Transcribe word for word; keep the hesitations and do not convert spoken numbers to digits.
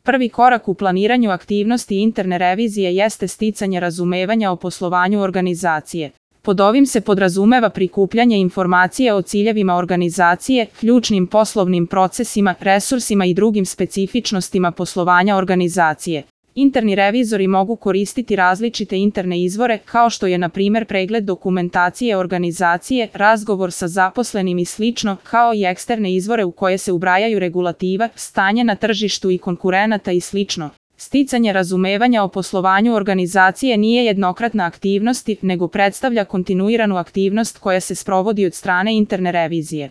Prvi korak u planiranju aktivnosti interne revizije jeste sticanje razumevanja o poslovanju organizacije. Pod ovim se podrazumeva prikupljanje informacije o ciljevima organizacije, ključnim poslovnim procesima, resursima i drugim specifičnostima poslovanja organizacije. Interni revizori mogu koristiti različite interne izvore, kao što je na primjer pregled dokumentacije organizacije, razgovor sa zaposlenim i slično, kao i eksterne izvore u koje se ubrajaju regulativa, stanje na tržištu i konkurenata i slično. Sticanje razumevanja o poslovanju organizacije nije jednokratna aktivnost, nego predstavlja kontinuiranu aktivnost koja se sprovodi od strane interne revizije.